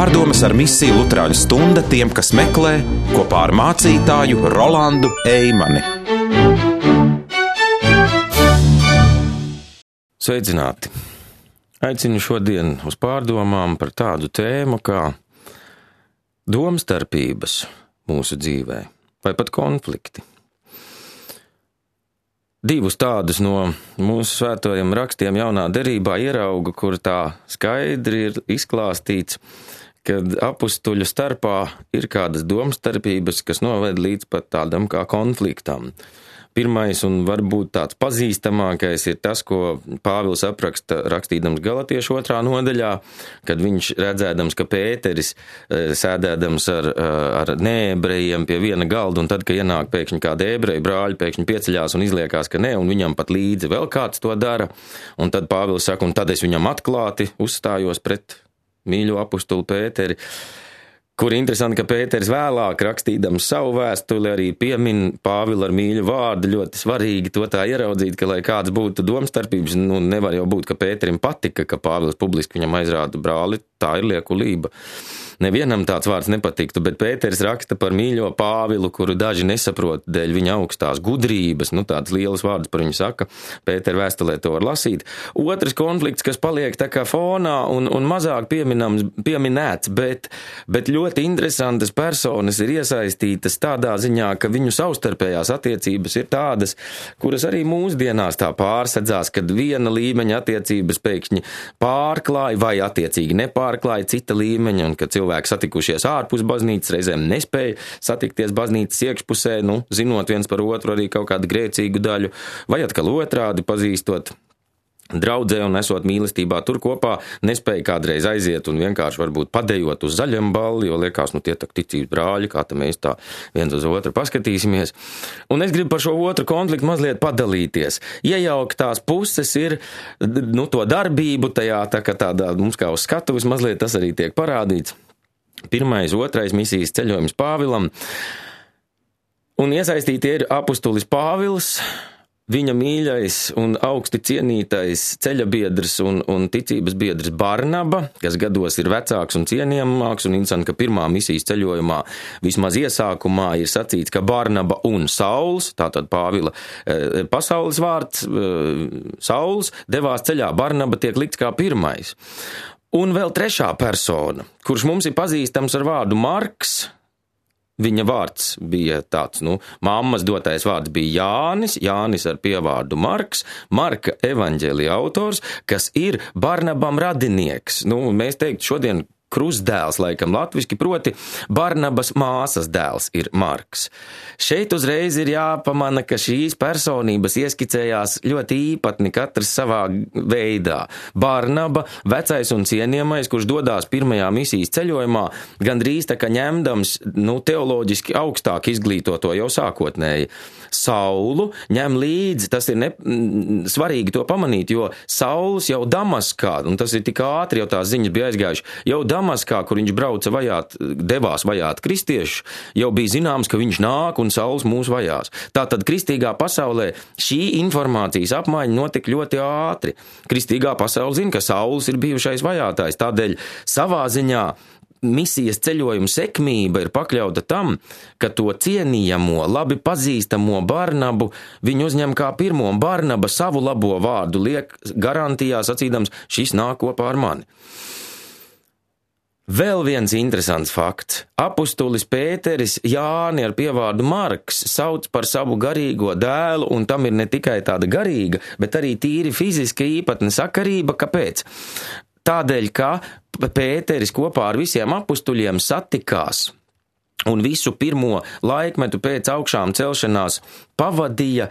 Pārdomas ar misiju Luterāņu stunda tiem, kas meklē, kopā ar mācītāju Rolandu Eimani. Sveicināti! Aicinu šodien uz pārdomām par tādu tēmu kā domstarpības mūsu dzīvē, vai pat konflikti. Divus tādus no mūsu svētajiem rakstiem jaunā derībā ierauga, kur tā skaidri ir izklāstīts, kad apustuļu starpā ir kādas domstarpības, kas noved līdz pat tādam kā konfliktam. Pirmais un varbūt tāds pazīstamākais ir tas, ko Pāvils apraksta rakstīdams Galatiešu 2. nodaļā, kad viņš redzēdams, ka Pēteris sēdēdams ar neebrejiem pie viena galda, un tad, ka ienāk pēkšņi kāda ebreja brāļi, pēkšņi pieceļās un izliekās, ka ne, un viņam pat līdzi vēl kāds to dara, un tad Pāvils saka, un tad es viņam atklāti uzstājos pret mīļo apustuli Pēteri, kur interesanti, ka Pēteris vēlāk rakstīdams savu vēstuli arī piemin Pāvilu ar mīļu vārdu, ļoti svarīgi to tā ieraudzīt, ka, lai kāds būtu domstarpības, nevar jau būt, ka Pēterim patika, ka Pāvils publiski viņam aizrāda brāli, tā ir liekulība. Nevienam tāds vārds nepatiktu, bet Pēteris raksta par mīļo Pāvilu, kuru daži nesaprot dēļ viņa augstās gudrības, tāds liels vārds par viņu saka, Pētera vēstulē to var lasīt. Otrs konflikts, kas paliek tā kā fonā un mazāk pieminēts, bet ļoti interesantas personas ir iesaistītas tādā ziņā, ka viņu savstarpējās attiecības ir tādas, kuras arī mūsdienās tā pārsedzās, kad viena līmeņa attiecības pēkšņi pārklāja vai attiecīgi nepārklāja cita līmeņa, un kad cilvēki satikušies ārpus baznīcas, reizēm nespēja satikties baznīcas iekšpusē, zinot viens par otru arī kaut kādu grēcīgu daļu, vai atkal otrādi pazīstot draudzē un esot mīlestībā tur kopā, nespēja kādreiz aiziet un vienkārši varbūt padejot uz zaļam balli, jo liekas, tie tak ticības brāļi, kā tā mēs tā viens uz otru paskatīsimies. Un es gribu par šo otru konfliktu mazliet padalīties. Iejauktās puses ir, to darbību tajā, tādā mums kā uz skatuves mazliet tas arī tiek parādīts. Pirmais, otrais misijas ceļojums Pāvilam. Un iesaistīti ir apustulis Pāvils, viņa mīļais un augsti cienītais ceļabiedrs un ticības biedrs Barnaba, kas gados ir vecāks un cienījamāks, un interesanti, ka pirmā misijas ceļojumā vismaz iesākumā ir sacīts, ka Barnaba un Sauls, tātad Pāvila pasaules vārds, Sauls, devās ceļā, Barnaba tiek likts kā pirmais. Un vēl trešā persona, kurš mums ir pazīstams ar vārdu Marks. Viņa vārds bija tāds, mammas dotais vārds bija Jānis ar pievārdu Marks, Marka evaņģēlija autors, kas ir Barnabam radinieks. Mēs teiktu šodien krustdēls, laikam latviski, proti Barnabas māsas dēls ir Marks. Šeit uzreiz ir jāpamana, ka šīs personības ieskicējās ļoti īpatni katrs savā veidā. Barnaba, vecais un cienījamais, kurš dodās pirmajā misijas ceļojumā, gandrīz tā kā ņemdams, teoloģiski augstāk izglītoto jau sākotnēji. Saulu ņem līdzi, tas ir svarīgi to pamanīt, jo Sauls jau Damaskā, un tas ir tik ātri, jau tās ziņas bija aizgājuši, jau Damaskā, kur viņš brauca devās vajāt kristiešus, jau bija zināms, ka viņš nāk un Sauls mūs vajās. Tātad kristīgā pasaulē šī informācijas apmaiņa notika ļoti ātri. Kristīgā pasaule zina, ka Sauls ir bijušais vajātājs, tādēļ savā ziņā misijas ceļojuma sekmība ir pakļauta tam, ka to cienījamo, labi pazīstamo Barnabu viņu uzņem kā pirmo, un Barnaba savu labo vārdu liek garantijā sacīdams, šis nāk kopā ar mani. Vēl viens interesants fakts. Apustulis Pēteris Jāni ar pievārdu Marks sauc par savu garīgo dēlu, un tam ir ne tikai tāda garīga, bet arī tīri fiziska īpatne sakarība. Kāpēc? Tādēļ, ka Pēteris kopā ar visiem apustuļiem satikās un visu pirmo laikmetu pēc augšām celšanās pavadīja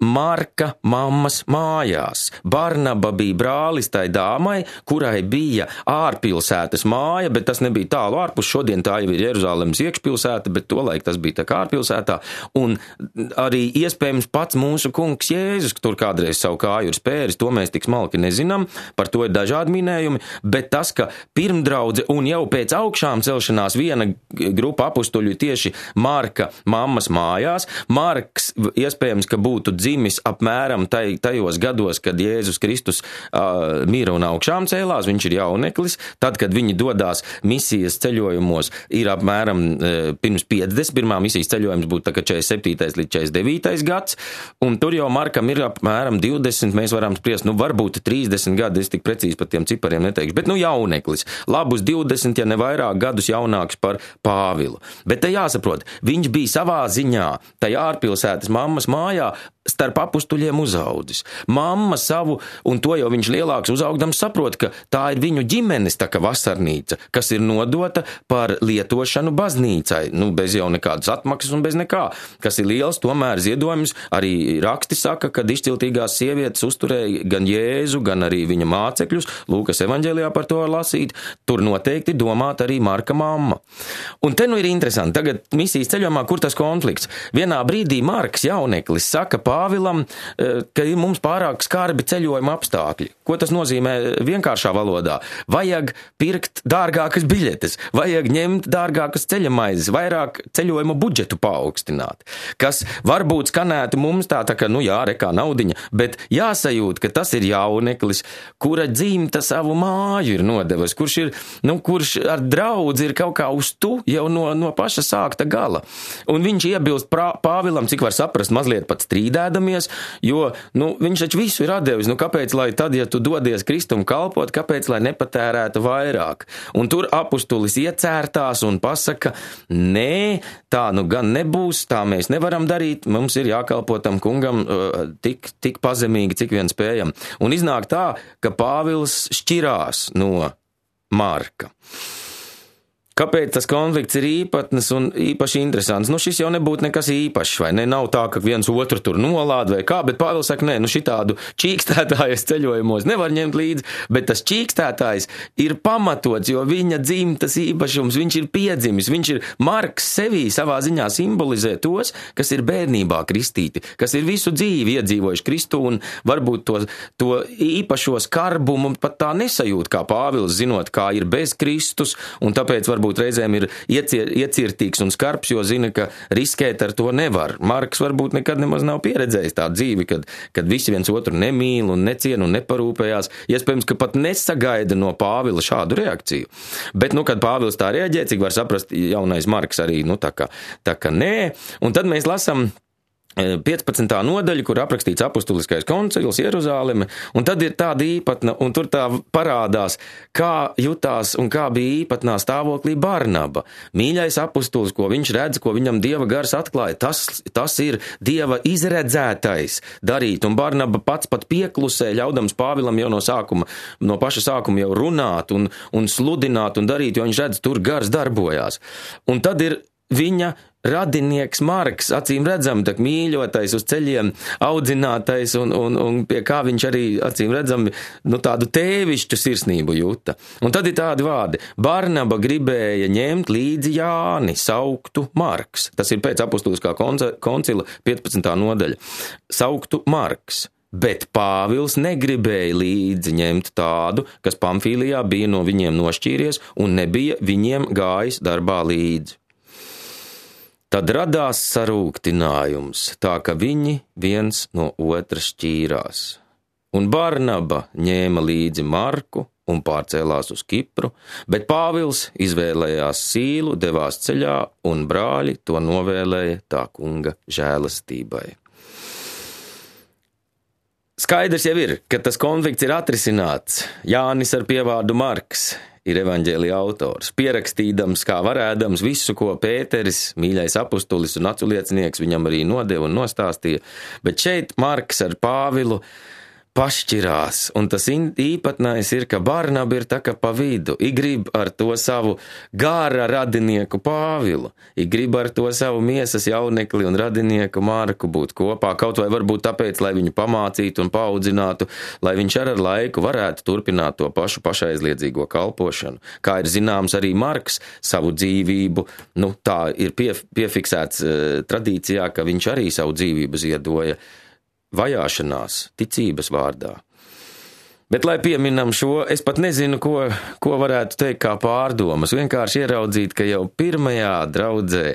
Marka mammas mājās. Barnaba bija brālis tai dāmai, kurai bija ārpilsētas māja, bet tas nebija tālu ārpus. Šodien tā jau ir Jeruzalemes iekšpilsēta, bet tolaik tas bija tā kā ārpilsētā. Un arī iespējams pats mūsu kungs Jēzus, tur kādreiz savu kāju ir spēris, to mēs tik smalki nezinām, par to ir dažādi minējumi, bet tas, ka pirmdraudze un jau pēc augšām celšanās viena grupa apustuļu tieši Marka mammas mājās, Marks iespējams, ka būtu dzīvojis dzimis apmēram tajos gados, kad Jēzus Kristus mira un augšām cēlās, viņš ir jauneklis. Tad, kad viņi dodās misijas ceļojumos, ir apmēram pirms 50, pirmā misijas ceļojums būtu tā kā 47. līdz 49. gads, un tur jau Markam ir apmēram 20, mēs varam spriest, varbūt 30 gadi, es tik precīzi par tiem cipariem neteikšu, bet jauneklis, labus 20, ja ne vairāk gadus jaunāks par Pāvilu. Bet te jāsaprot, viņš bija savā ziņā, tajā ārpilsētas mammas mājā, starp apustuļiem uzaudzis. Mamma savu, un to jau viņš lielāks uzaugdams saprot, ka tā ir viņu ģimenes tā kā vasarnīca, kas ir nodota par lietošanu baznīcai, bez jau nekādas atmaksas un bez nekā, kas ir liels, tomēr ziedojums. Arī raksti saka, kad izciltīgās sievietes uzturēja gan Jēzu, gan arī viņa mācekļus, Lūkas evaņģēlijā par to var lasīt, tur noteikti domāt arī Marka mamma. Un te ir interesanti, tagad misijas ceļojumā, kur tas konflikts. Vienā brīdī Marks jauneklis saka Pāvilam, ka ir mums pārāk skarbi ceļojuma apstākļi. Ko tas nozīmē vienkāršā valodā? Vajag pirkt dārgākas biļetes, vajag ņemt dārgākas ceļamaizes, vairāk ceļojuma budžetu paaugstināt, kas varbūt skanētu mums tā kā, rekā naudiņa, bet jāsajūt, ka tas ir jauneklis, kura dzimta savu māju ir nodevis, kurš ar draudzi ir kaut kā uz tu jau no paša sākta gala. Un viņš iebilst Pāvilam, cik var saprast, mazliet pat strīdēdamies, jo, viņš taču visu ir atdevis, kāpēc, lai tad, ja tu dodies Kristum kalpot, kāpēc, lai nepatērētu vairāk? Un tur apustulis iecērtās un pasaka, nē, tā gan nebūs, tā mēs nevaram darīt, mums ir jākalpo tam kungam tik pazemīgi, cik vien spējam. Un iznāk tā, ka Pāvils šķirās no Marka. Kāpēc tas konflikts ir īpatnes un īpaši interesants? Šis jau nebūtu nekas īpašs, vai ne? Nav tā, ka viens otru tur nolāda vai kā, bet Pāvils saka, nē, šitādu čīkstētājas ceļojumos nevar ņemt līdzi, bet tas čīkstētājs ir pamatots, jo viņa dzimtas īpašums, viņš ir piedzimis, viņš ir Marks sevī savā ziņā simbolizē tos, kas ir bērnībā kristīti, kas ir visu dzīvi iedzīvojuši Kristu un varbūt to īpašo skarbumu pat tā nesajūt, kā Pāvils, zinot, kā ir bez Kristus, un tāpēc varbūt reizēm ir iecirtīgs un skarbs, jo zina, ka riskēt ar to nevar. Marks varbūt nekad nemaz nav pieredzējis tādu dzīvi, kad visi viens otru nemīl un neciena un neparūpējās. Iespējams, ka pat nesagaida no Pāvila šādu reakciju. Bet, kad Pāvils tā reaģē, cik var saprast, jaunais Marks arī, tā kā nē. Un tad mēs lasam 15. nodaļa, kur aprakstīts apustuliskais koncils Jeruzāleme, un tad ir tāda īpatna, un tur tā parādās, kā jutās un kā bija īpatnā stāvoklī Barnaba. Mīļais apustulis, ko viņš redz, ko viņam Dieva gars atklāja, tas ir Dieva izredzētais darīt, un Barnaba pats pat pieklusē, ļaudams Pāvilam jau no paša sākuma jau runāt un sludināt un darīt, jo viņš redz, tur gars darbojās. Un tad ir viņa radinieks Marks, acīm redzam, tak mīļotais uz ceļiem, audzinātais un pie kā viņš arī, acīm redzam, tādu tēvišķu sirsnību jūta. Un tad ir tādi vārdi. Barnaba gribēja ņemt līdzi Jāni, sauktu Marks. Tas ir pēc apustuliskā koncila 15. nodaļa. Sauktu Marks. Bet Pāvils negribēja līdzi ņemt tādu, kas Pamfīlijā bija no viņiem nošķīries un nebija viņiem gājis darbā līdzi. Tad radās sarūktinājums, tā ka viņi viens no otra šķīrās. Un Barnaba ņēma līdzi Marku un pārcēlās uz Kipru, bet Pāvils izvēlējās Sīlu, devās ceļā, un brāļi to novēlēja tā kunga žēlastībai. Skaidrs jau ir, ka tas konflikts ir atrisināts. Jānis ar pievārdu Marks ir evaņģēlija autors, pierakstīdams, kā varēdams visu, ko Pēteris, mīļais apustulis un aculiecinieks, viņam arī nodeva un nostāstīja. Bet šeit Marks ar Pāvilu pašķirās, un tas īpatnais ir, ka Barnaba ir tā kā pa vidu. I grib ar to savu gāra radinieku Pāvilu, I grib ar to savu miesas jaunekli un radinieku Marku būt kopā, kaut vai varbūt tāpēc, lai viņu pamācītu un paaudzinātu, lai viņš ar laiku varētu turpināt to pašu pašaizliedzīgo kalpošanu. Kā ir zināms, arī Marks savu dzīvību, tā ir piefiksēts tradīcijā, ka viņš arī savu dzīvību ziedoja vajāšanās, ticības vārdā. Bet, lai pieminam šo, es pat nezinu, ko varētu teikt kā pārdomas. Vienkārši ieraudzīt, ka jau pirmajā draudzē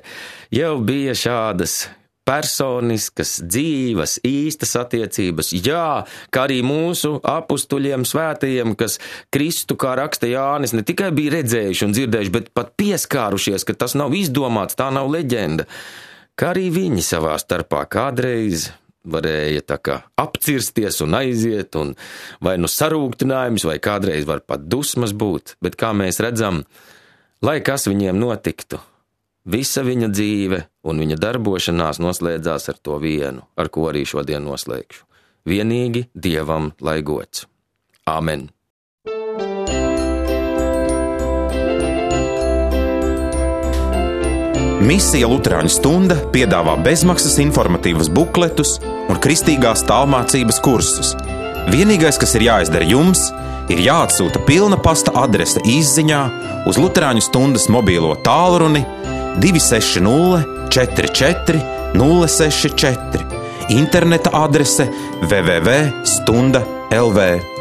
jau bija šādas personiskas, dzīvas, īstas attiecības. Jā, kā arī mūsu apustuļiem, svētajiem, kas Kristu, kā raksta Jānis, ne tikai bija redzējuši un dzirdējuši, bet pat pieskārušies, ka tas nav izdomāts, tā nav leģenda. Kā arī viņi savā starpā kādreiz varēja tā kā apcirsties un aiziet, un vai nu sarūktinājums, vai kādreiz var pat dusmas būt, bet kā mēs redzam, lai kas viņiem notiktu, visa viņa dzīve un viņa darbošanās noslēdzās ar to vienu, ar ko arī šodien noslēgšu. Vienīgi Dievam lai gods. Āmen. Misija Luterāņu stunda piedāvā bezmaksas informatīvas bukletus un kristīgās tālmācības kursus. Vienīgais, kas ir jāizdara jums, ir jāatsūta pilna pasta adrese izziņā uz Luterāņu stundas mobīlo tālruni 260 44 064, interneta adrese www.stunda.lv.